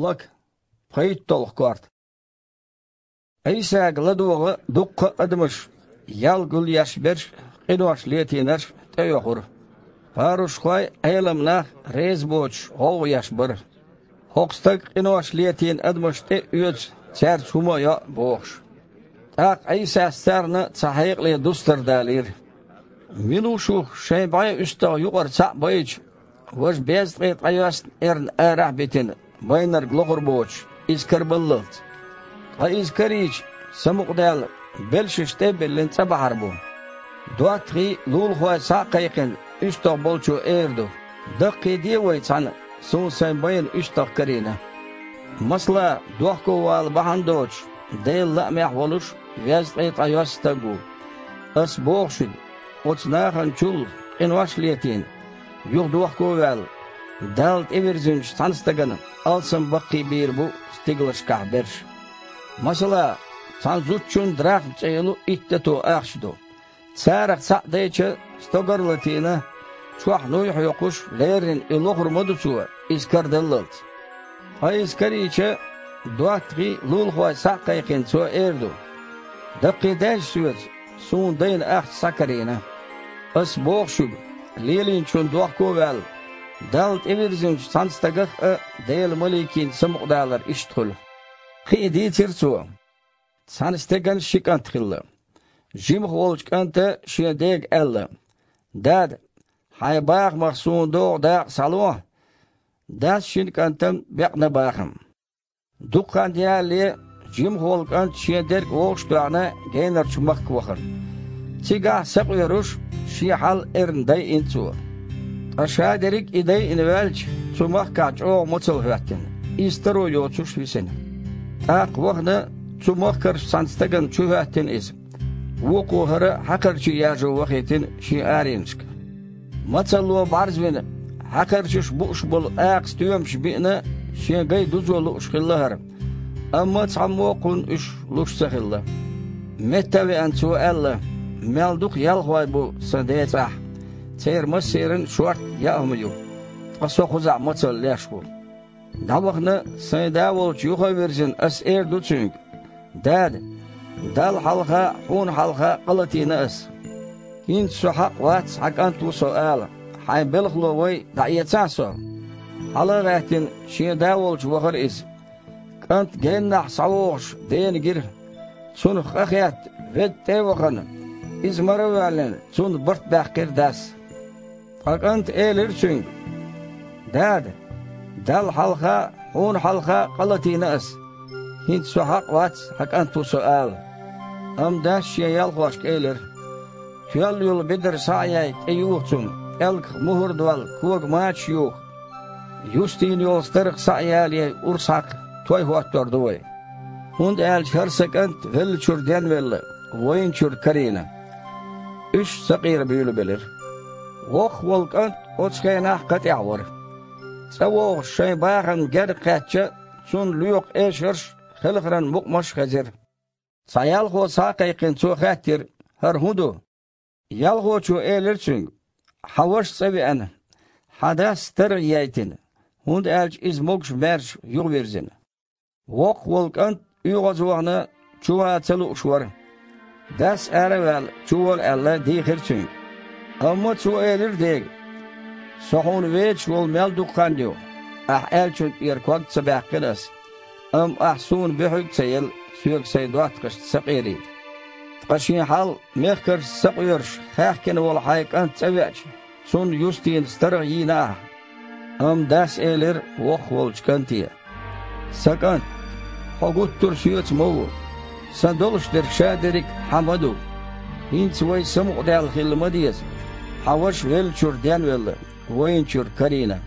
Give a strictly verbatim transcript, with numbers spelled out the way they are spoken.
Лака, пхийтталгӀа корта. Ӏийсага ладогӀа дуккха а адамаш, ял гулъеш берш, къинош летийнарш тӀеоьхура. Парушхой, Ӏелам нах реза боцуш гӀовгӀа еш бара. ХӀокху стага къинош летийна адамаш тӀе а оьцу, цаьрца хӀума а йо а бохуш. ТӀаккха Ӏийсас царна цхьа хьекъале дустар далийра: «Мила ву шух, шайн бӀе уьстагӀ юкъара цхьаъ байча, важа безткъе ткъайоьсна эрна арахь а битина, байнарг лохур боцуш, иза карабаллалц? Ткъа иза карийча, самукъадаьлла, белшаш тӀе а биллина, цӀа бахьар бу. ДоттагӀий, лулахой схьа а кхайкхина, уьстагӀ болчо эр ду: „Даккхийде вай цхьаьна, суна сайн байна уьстагӀ карийна“. Масала, дохковала бахьана доцуш, Делан лаамехь волуш везткъе ткъайоьсна стаг ву. Ас боху шуьга, оцу нахана чул къинош а летийна, юха дохко а ваьлла, Далла тӀевирзинчу цхьана стагана алсамбаккхий бийр бу стигалшкахь берш. Масала, цхьана зудчун драхма цӀе йолу итт дато ахча ду. Царах цхьаъ дайча, стогар а латийна, чохь нуй хьоькхуш, леррина и лохур ма ду цо, иза карадаллалц. Ткъа иза карийча, доттагӀий, лулахой схьа а кхайкхина, цо эр ду: „Даккхийдайша соьца, суна дайна ахча схьакарийна“. Ас боху шуьга, лелийначунна дохко а ваьлла, Далла тӀевирзинчу цхьана стагах а Делан маликийн самукъадалар иштта хуьлу». Кхин а дийцира цо: Цхьана стеган ши кӀант хилла. Жимах волчу кӀанта шен дега аьлла: „Дада, хьайн бахамах суна догӀу дакъа схьало“. Дас шина кӀантана бекъна бахам. Дукха хан ялале, жимах волу кӀант шен дерг вовшах а тоьхна, генарчу махка вахара. Цигахь, сакъоьруш, шен хьал эрна дайина цо. Ткъа шадерриг а и дайина ваьлча, цу махкахь чӀогӀа мацалла хӀоьттина, иза таро йоцуш висина. ТӀаккха вахана, цу махкарчу цхьана стагана чухӀоьттина иза. Вукхо хӀара хьакхарчий яржо вахийтина шен аренашка. Мацалло бӀарзвина, хьакхарчаш бууш болу акха стоьмаш биъна, шен гай дузо лууш хилла хӀара. Амма цхьаммо а кхунна уьш луш ца хилла. Метта а веана, цо аьлла: „Мел дукха ялхой бу сан децӀахь! Церан массеран шортта яа хӀума ю, ткъа со кхузахь мацалла леш ву“. ДӀавахана, сайн да волчу юха а вирзина, ас эр ду цуьнга: „Дада, Далла хьалха, хьуна хьалха къа латийна ас. ХӀинца со хьакъ вац, хьан кӀант ву со ала, хьайн белхало вай, дӀаэцахьа со“. Хьала а гӀаьттина, шен да волчу вахара иза. КӀант геннахь схьавогӀуш, дена гира. Цунах къа хетта, ведда тӀе а вахана, иза мара а воьллина, цунна барт баьккхира дас. Ткъа кӀанта элира цуьнга: „Дада, Далла хьалха, хьуна хьалха къа латийна ас. ХӀинца со хьакъ вац, хьан кӀант ву со ала“. Амма дас шен ялхошка элира: „Тоьлла йолу бедар схьа а яй, тӀеюха цунна, пӀелгах мухӀар а долла, кога мачаш а юха. Юстийна йолу старгӀа схьа а ялаяй, урс хьакха, той хӀоттор ду вай. ХӀунда аьлча хӀара сан кӀант веллачуьра денвелла, вайначуьра карийна“. Уьш сакъера буьйлабелира. Воккхах волу кӀант оцу хенахь кха тӀехь вара. ЦӀа вогӀуш, шайн бахамна герга кхаьчча, цунна лоькху эшарш а, хелхаран мукъамаш а хезира. Цхьа ялхо схьа а кхайкхина, цо хаьттира: „ХӀара хӀун ду?“ Ялхочо элира цуьнга: „Хьан ваша цӀа веана, хьан дас старгӀа яйтина, хӀунда аьлча иза могуш-маьрша юхавирзина“. Воккхах волу кӀант, оьгӀазвахана, чу ван ца лууш вара. Дас ара а ваьлла, чу вола аьлла, дийхира цуьнга. Амма цо элира дега: „Со хьуна везаш волу мел дукха хан ю, ахь аьллачун тӀера ког ца баьккхина ас. Амма ахь суна буьхьиг а ца елла, соьга сайн доттагӀашца сакъерийта. Ткъа шен хьал мехкаршца сакъоьруш, хаьхкина волу хьайн кӀант цӀа веача, цунна юстийна старгӀа йийна ахь“. Амма дас элира воккхах волчу кӀанте: „Сан кӀант, хьо гуттар а соьца ма ву. Сан долуш дерг шадерриг а хьан ма ду. ХӀинца вай самукъадаьлла хила ма деза. Хьан ваша веллачуьра денвелла, вайначуьра карийна“.